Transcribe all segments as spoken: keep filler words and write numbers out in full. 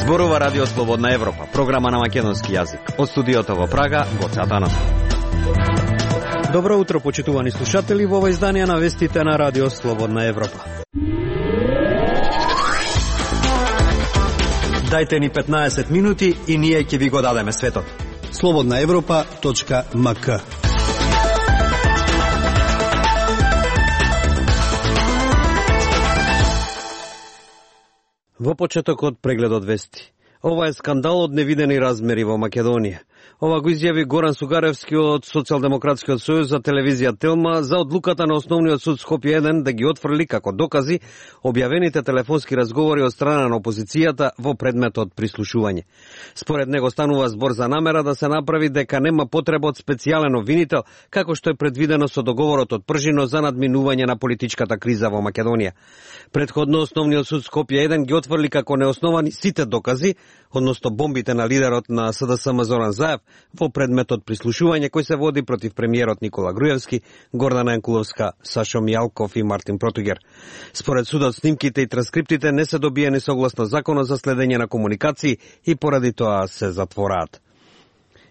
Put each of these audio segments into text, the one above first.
Зборува Радио Слободна Европа, програма на македонски јазик. Од студиото во Прага, Гоце Атанасов. Добро утро, почитувани слушатели, во ова издание на вестите на Радио Слободна Европа. Дајте ни петнаесет минути и ние ќе ви го дадеме светот. слободна европа точка ем ка. Во почетокот прегледот вести. Ова е скандал од невидени размери во Македонија. Ова го изјави Горан Сугаревски од Социјалдемократскиот сојуз за телевизија Телма за одлуката на Основниот суд Скопје еден да ги отфрли како докази објавените телефонски разговори од страна на опозицијата во предметот прислушување. Според него станува збор за намера да се направи дека нема потреба од специјален обвинител, како што е предвидено со договорот од пржино за надминување на политичката криза во Македонија. Предходно Основниот суд Скопје еден ги отфрли како неосновани сите докази, односно бомбите на лидерот на С Д С М Зоран Заев во предметот прислушување кој се води против премиерот Никола Груевски, Гордана Јанкуловска, Сашо Мијалков и Мартин Протугер. Според судот, снимките и транскриптите не се добиени согласно законот за следење на комуникации и поради тоа се затвораат.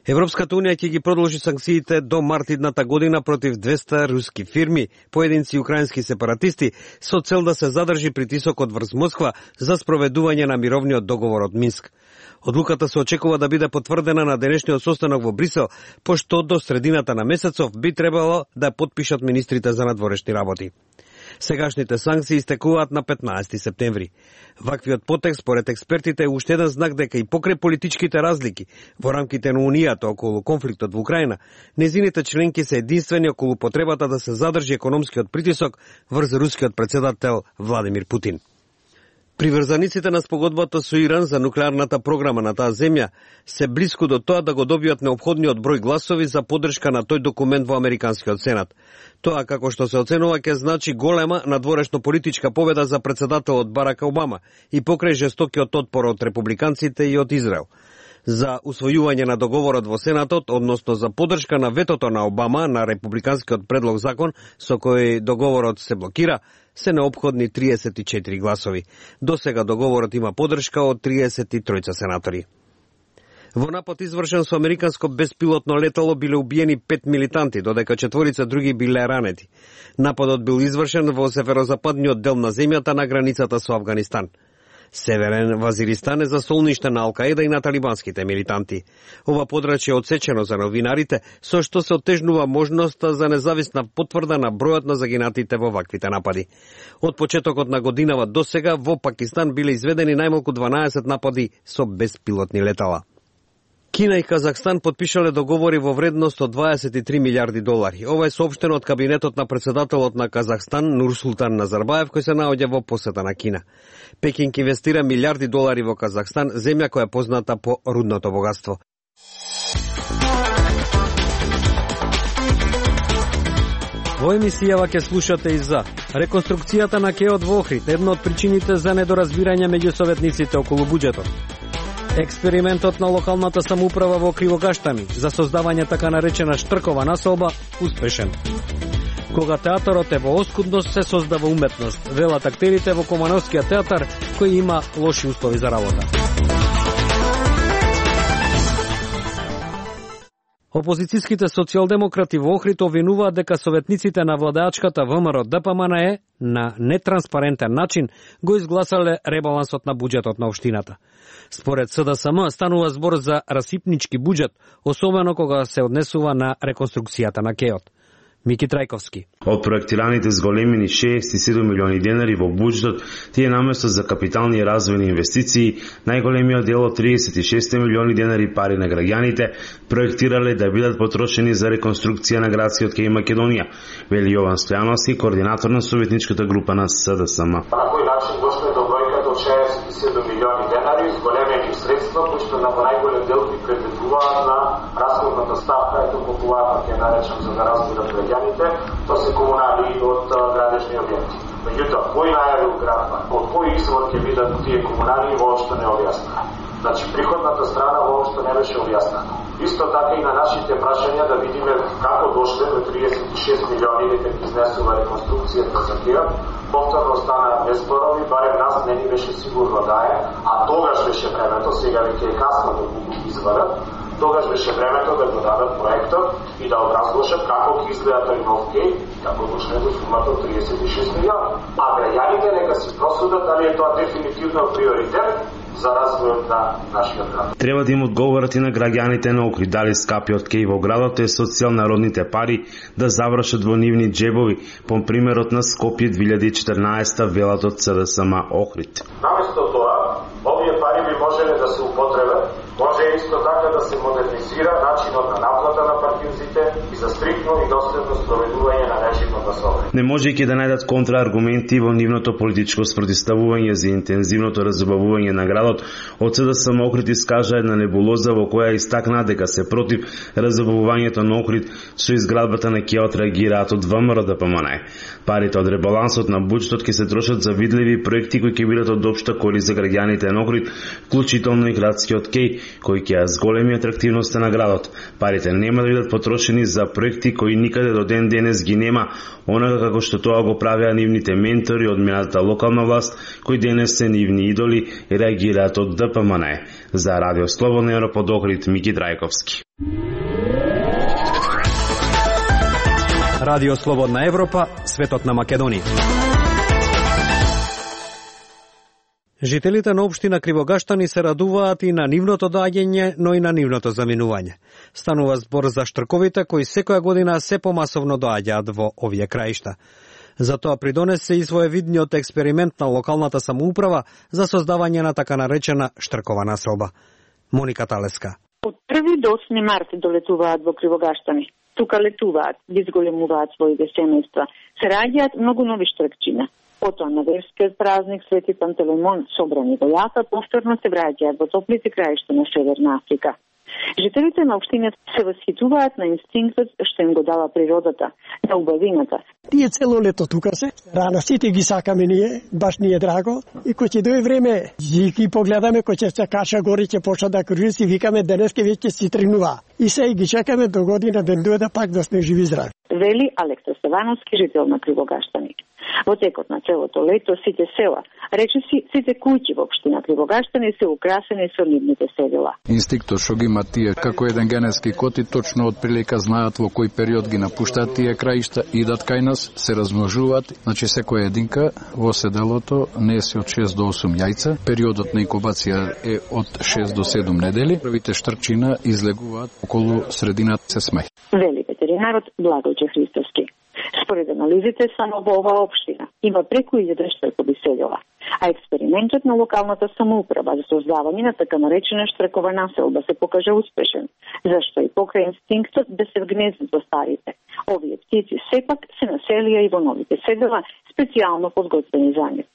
Европската унија ќе ги продолжи санкциите до март идната година против двесте руски фирми, поединци и украински сепаратисти, со цел да се задржи притисокот врз Москва за спроведување на мировниот договор од Минск. Одлуката се очекува да биде потврдена на денешниот состанок во Брисел, пошто до средината на месецов би требало да подпишат министрите за надворешни работи. Сегашните санкции истекуваат на петнаесети септември. Ваквиот потек, според експертите, е уште еден знак дека и покрај политичките разлики во рамките на Унијата околу конфликтот во Украина, незините членки се единствени околу потребата да се задржи економскиот притисок врз рускиот председател Владимир Путин. Приврзаниците на спогодбата со Иран за нуклеарната програма на таа земја се блиску до тоа да го добијат неопходниот број гласови за поддршка на тој документ во Американскиот сенат. Тоа, како што се оценува, ќе значи голема надворешно политичка победа за председателот Барак Обама и покрај жестокиот отпор од републиканците и од Израел. За усвојување на договорот во Сенатот, односно за поддршка на ветото на Обама на републиканскиот предлог закон со кој договорот се блокира, се неопходни триесет и четири гласови. До сега договорот има поддршка од триесет и тројца сенатори. Во напад извршен со американско беспилотно летало биле убиени пет милитанти, додека четворица други биле ранети. Нападот бил извршен во северозападниот дел на земјата на границата со Авганистан. Северен Вазиристан е за солниште на Ал-Каеда и на талибанските милитанти. Ова подрачје е отсечено за новинарите, со што се оттежнува можноста за независна потврда на бројот на загинатите во ваквите напади. Од почетокот на годинава до сега во Пакистан биле изведени најмалку дванаесет напади со беспилотни летала. Кина и Казахстан подпишале договори во вредност од дваесет и три милиарди долари. Ова е соопштено од кабинетот на председателот на Казахстан Нурсултан Назарбаев, кој се наоѓа во посета на Кина. Пекинг инвестира милиарди долари во Казахстан, земја која е позната по рудното богатство. Во емисијава ќе слушате и за реконструкцијата на КЕО во Охрид, една од причините за недоразбирање меѓу советниците околу буџетот. Експериментот на локалната самоуправа во Кривогаштани за создавање така наречена штркова населба успешен. Кога театарот е во оскудност, се создава уметност, велат актерите во Комановскиот театар, кој има лоши услови за работа. Опозицијските социјалдемократи во Охрид обвинуваат дека советниците на владеачката ВМРО Д П М Н Е на нетранспарентен начин го изгласале ребалансот на буџетот на општината. Според С Д С М станува збор за расипнички буџет, особено кога се однесува на реконструкцијата на КЕО-от. Мики Трајковски. Од проектираните зголемени шеесет и седум милиони денари во буџетот, тие наместо за капитални и развојни инвестиции, најголемиот дел од триесет и шест милиони денари пари на граѓаните проектирале да бидат потрошени за реконструкција на градскиот кеј Македонија, вели Јован Стојановски, координатор на советничката група на С Д С М. На кој начин дошле до бројката од шеесет и седум милиони денари, зголемени средства, кои што на најголем дел ги предвидуваат на расходната ставка, ето популарно ќе наречам за да разбират граѓаните, тоа се комунали од градежни објекти. Меѓутоа, кој најавил градба, од кој извор ќе бидат тие комунали, воопшто не објаснува. Значи, приходната страна воопшто не беше објаснена. Исто така и на нашите прашања да видиме како дошле до триесет и шест милиони дека ги изнесува реконструкцијата за КЕО, Повторно стана без зборови, барем нас не ни беше сигурно да е, а тогаш беше времето, сега веќе е касно да го извадат, тогаш беше времето да го дадат проектот и да образложат како ќе изгледа тој нов геј, како дошле до сумата од триесет и шест милиони. А граѓаните нека си просудат дали е тоа дефинитивно приоритет за развојот на нашиот град. Треба да им одговорат и на граѓаните на Охрид дали скапиот кеј во градот е со цел народните пари да завршат во нивни џебови, по примерот на Скопје две илјади и четрнаесетта, велат од С Д С М Охрид. Наместо тоа, овие пари би можеле да се употребат, може исто така да се модернизира начинот на наплата на паркинзите и за стриктно и доследно спроведување на режимот на сообраќај. Не можејќи да најдат контрааргументи во нивното политичко спротивставување за интензивното разубавување на градот, од С Д С М Охрид искажа една небулоза во која истакна дека се против разубавувањето на Охрид со изградбата на ке одреагираат од В М Р Д П М Н Е. Парите од ребалансот на буџетот ќе се трошат за видливи проекти кои ќе бидат од општа корист за граѓаните на Охрид, вклучително и градскиот кеј, кој ќе ја зголеми атрактивноста на градот. Парите нема да бидат потрошени за проекти кои никаде до ден денес ги нема, онака како што тоа го правеа нивните ментори од минатата локална власт, кои денес се нивни идоли и реагираат од Д П М Н Е. За Радио Слободна Европа од Охрид, Мики Драјковски. Радио Слободна Европа, светот на Македонија. Жителите на општина Кривогаштани се радуваат и на нивното доаѓање, но и на нивното заминување. Станува збор за штрковите кои секоја година се помасовно доаѓаат во овие краишта. Затоа придонесе и своевидниот експеримент на локалната самоуправа за создавање на така наречена штркова населба. Моника Талеска. Од први до осми март долетуваат во Кривогаштани. Тука летуваат, изголемуваат своите семејства. Се раѓаат многу нови штркчина. Потоа на верскиот празник Свети Пантелеймон, собрани во Јафа, повторно се враќаат во топлите краишта на Северна Африка. Жителите на општината се восхитуваат на инстинктот што им го дава природата, на убавината. Тие цело лето тука се, рано сите ги сакаме ние, баш ни е драго, и кој ќе дое време, ги погледаме, кој ќе се каша гори, ќе почна да кружи, си викаме денеска веќе си тренува. И се ги чекаме до година да дојде пак да сме живи здрави. Вели Алекса Стевановски, жител на Кривогаштани. Во текот на целото лето сите села, речиси сите куќи во општина Кривогаштани се украсени со нивните седела. Инстинктот што ги има тие како еден генетски код и точно од прилика знаат во кој период ги напуштаат тие краишта, идат кај нас, се размножуваат. Значи секоја единка во седелото несе од шест до осум јајца. Периодот на инкубација е од шест до седум недели. Првите штрчина излегуваат околу средината се смеј. Вели ветеринарот Благојче Христовски. Според анализите, само во оваа општина има преку илјада штркови седела, а експериментот на локалната самоуправа за создавање на така наречена штркова населба се покажа успешен, зашто и покрај инстинктот да се вгнездат во старите. Овие птици сепак се населија и во новите седела, специјално подготвени за нив.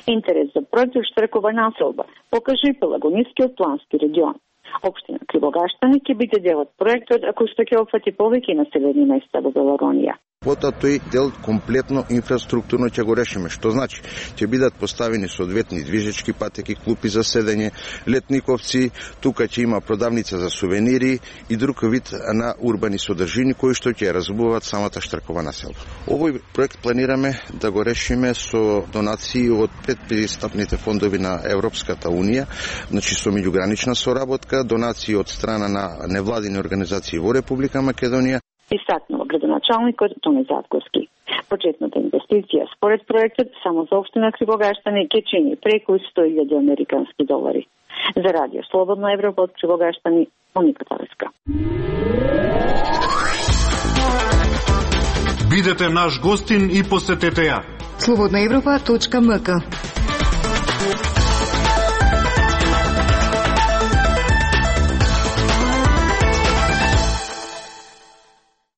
Интерес за проект штркова населба покажа и Пелагонискиот плански регион. Општина Кривогаштани ќе биде дел од проектот ако што ќе опфати повеќе населени места во Пелагонија. Потоа тој дел комплетно инфраструктурно ќе го решиме, што значи ќе бидат поставени соодветни движечки патеки, клупи за седење, летниковци, тука ќе има продавница за сувенири и друг вид на урбани содржини кои што ќе разбуваат самата штркова населба. Овој проект планираме да го решиме со донации од предпристапните фондови на Европската унија, значи со меѓугранична соработка, донации од страна на невладини организации во Република Македонија. Истакнува градоначалникот Тони Затковски. Почетната инвестиција според проектот само за општина Кривогаштани ќе чини преку сто илјади американски долари. За Радио Слободна Европа од Кривогаштани, Моника Талеска. Бидете наш гостин и посетете ја. слободна европа точка м к.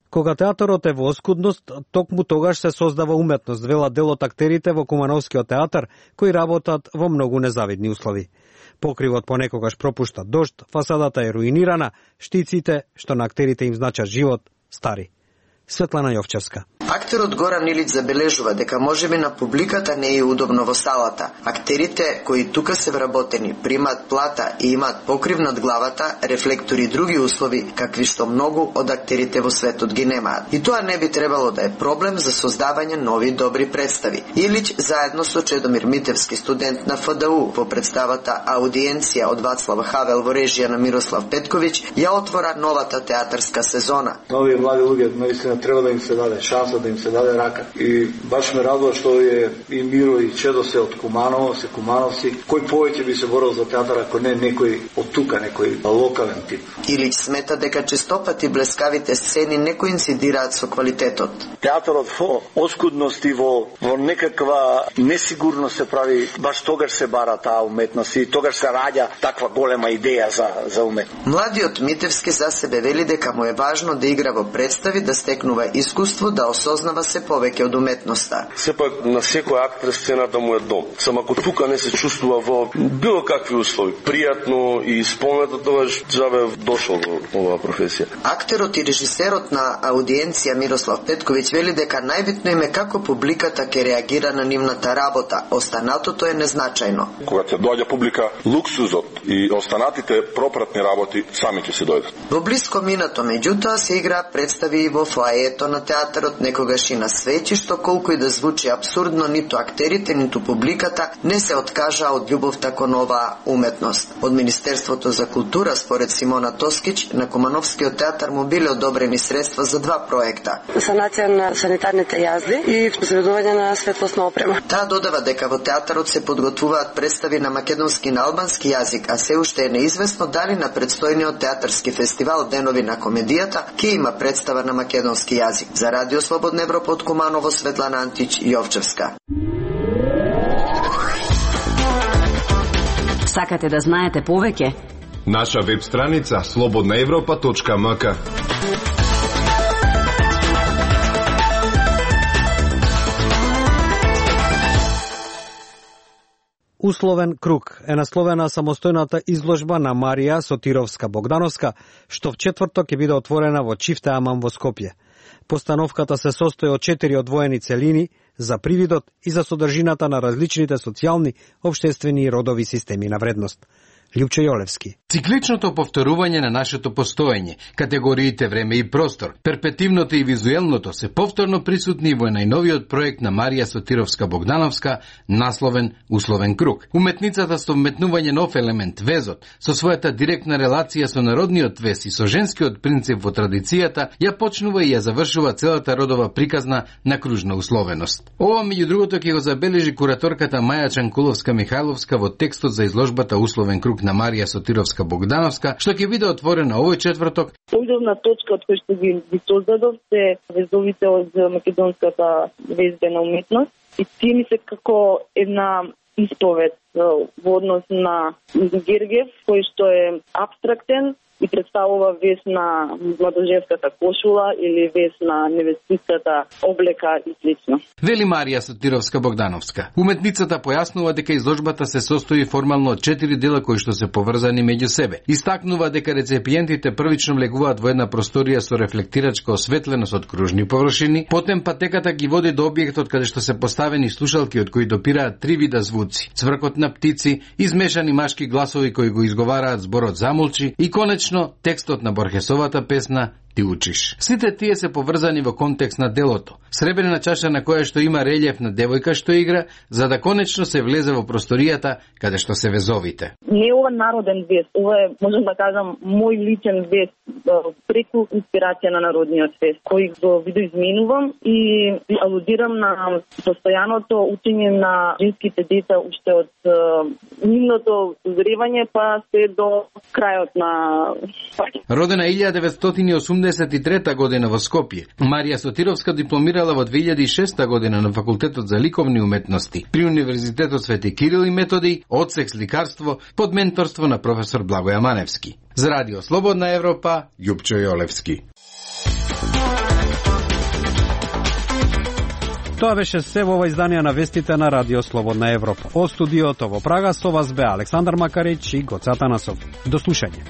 Кога театарот е во оскудност, токму тогаш се создава уметност, велат дел од актерите во Кумановскиот театар, кои работат во многу незавидни услови. Покривот понекогаш пропушта дожд, фасадата е руинирана, штиците, што на актерите им значат живот, стари. Светлана Јовчевска. Актерот Горан Илиќ забележува дека можеби на публиката не е удобно во салата. Актерите кои тука се вработени, примаат плата и имаат покрив над главата, рефлектори и други услови, какви што многу од актерите во светот ги немаат. И тоа не би требало да е проблем за создавање нови добри представи. Илиќ заедно со Чедомир Митевски, студент на Ф Д У, во представата Аудиенција од Вацлав Хавел во режија на Мирослав Петковиќ, ја отвора новата театарска сезона. Нови млади луѓе наистина треба да им се даде шанса, да им се даде рака. И баш ме радува што е и Миро и Чедо се од Куманово, се кумановци. Кој повеќе би се борил за театар ако не некој од тука, некој локален тип. Илиќ смета дека честопати блескавите сцени не коинцидираат со квалитетот. Театарот во оскудност и во, во некаква несигурност се прави, баш тогаш се бара таа уметност и тогаш се раѓа таква голема идеја за, за уметност. Младиот Митевски за себе вели дека му е важно да игра во представи, да стекнува искуство, да осознава се повеќе од уметноста. Сепак на секој актер сцената му е дом. Само ако тука не се чувствува во било какви услови, пријатно и исполнето, тогаш джабе дошол во оваа професија. Актерот и режисерот на Аудиенција Мирослав Петковиќ вели дека најбитно им е како публиката ќе реагира на нивната работа, останатото е незначајно. Кога ќе доаѓа публика, луксузот и останатите пропратни работи сами ќе се дојдат. Во блиско минато, меѓутоа, се игра представи и во фоаето на театарот, некогаш и на свеќи, што колку и да звучи абсурдно, ниту актерите, ниту публиката не се откажаа од љубовта кон оваа уметност. Од Министерството за култура, според Симона Тоскиќ, на Кумановскиот театар му биле одобрени средства за два проекта. Санација на санитарните јазди и произведување на светлосна опрема. Таа додава дека во театарот се подготвуваат представи на македонски и на албански јазик, а се уште е неизвестно дали на предстојниот театарски фестивал Денови на комедијата ќе има представа на македонски јазик. За Радио Слободна Европа од Куманово, Светлана Антич, Јовчевска. Сакате да знаете повеќе? Наша веб страница слободна европа точка м к. Условен круг е насловена самостојната изложба на Марија Сотировска-Богдановска, што в четврток ќе биде отворена во Чифте Аман во Скопје. Постановката се состои од четири одвоени целини за привидот и за содржината на различните социјални, општествени и родови системи на вредност. Лјупчо Јолевски. Цикличното повторување на нашето постоење, категориите време и простор, перпетивното и визуелното се повторно присутни во најновиот проект на Марија Сотировска-Богдановска, насловен Условен круг. Уметницата со вметнување нов елемент, везот, со својата директна релација со народниот вез и со женскиот принцип во традицијата, ја почнува и ја завршува целата родова приказна на кружна условеност. Ова, меѓу другото, ќе го забележи кураторката Маја Чанкуловска-Михајловска во текстот за изложбата Условен круг на Марија Сотировска-Богдановска, што ќе биде отворена овој четврток. Појдовна точка од која што ги, ги создадов се везовите од македонската везбена уметност и тие ми се како една исповед во однос на Гергев, кој што е абстрактен и представува вес на младоженската кошула или вес на невестиската облека и слично. Вели Марија Сотировска-Богдановска. Уметницата појаснува дека изложбата се состои формално од четири дела кои што се поврзани меѓу себе. Истакнува дека рецепиентите првично влегуваат во една просторија со рефлектирачка осветленост од кружни површини, потем патеката ги води до објектот каде што се поставени слушалки од кои допираат три вида звуци: цвркот на птици, измешани машки гласови кои го изговараат зборот замолчи и конечно текстот на Борхесовата песна Ти учиш. Сите тие се поврзани во контекст на делото. Сребрена чаша на која што има релјеф на девојка што игра, за да конечно се влезе во просторијата каде што се везовите. Не е ова народен вез, ова е, можам да кажам, мој личен вез, преку инспирација на народниот вез, кој го видоизменувам и алудирам на постојаното учење на женските деца уште од нивното узревање па се до крајот на Родена илјада деветстотини и осумдесет и трета година во Скопје, Марија Сотировска дипломирала во две илјади и шеста година на Факултетот за ликовни уметности при Универзитетот Свети Кирил и Методи, одсек сликарство под менторство на професор Благоја Маневски. За Радио Слободна Европа, Лјупчо Јолевски. Тоа беше се во ова издание на вестите на Радио Слободна Европа. Од студиото во Прага со вас бе Александар Макарич и Гоца Танасов. До слушање.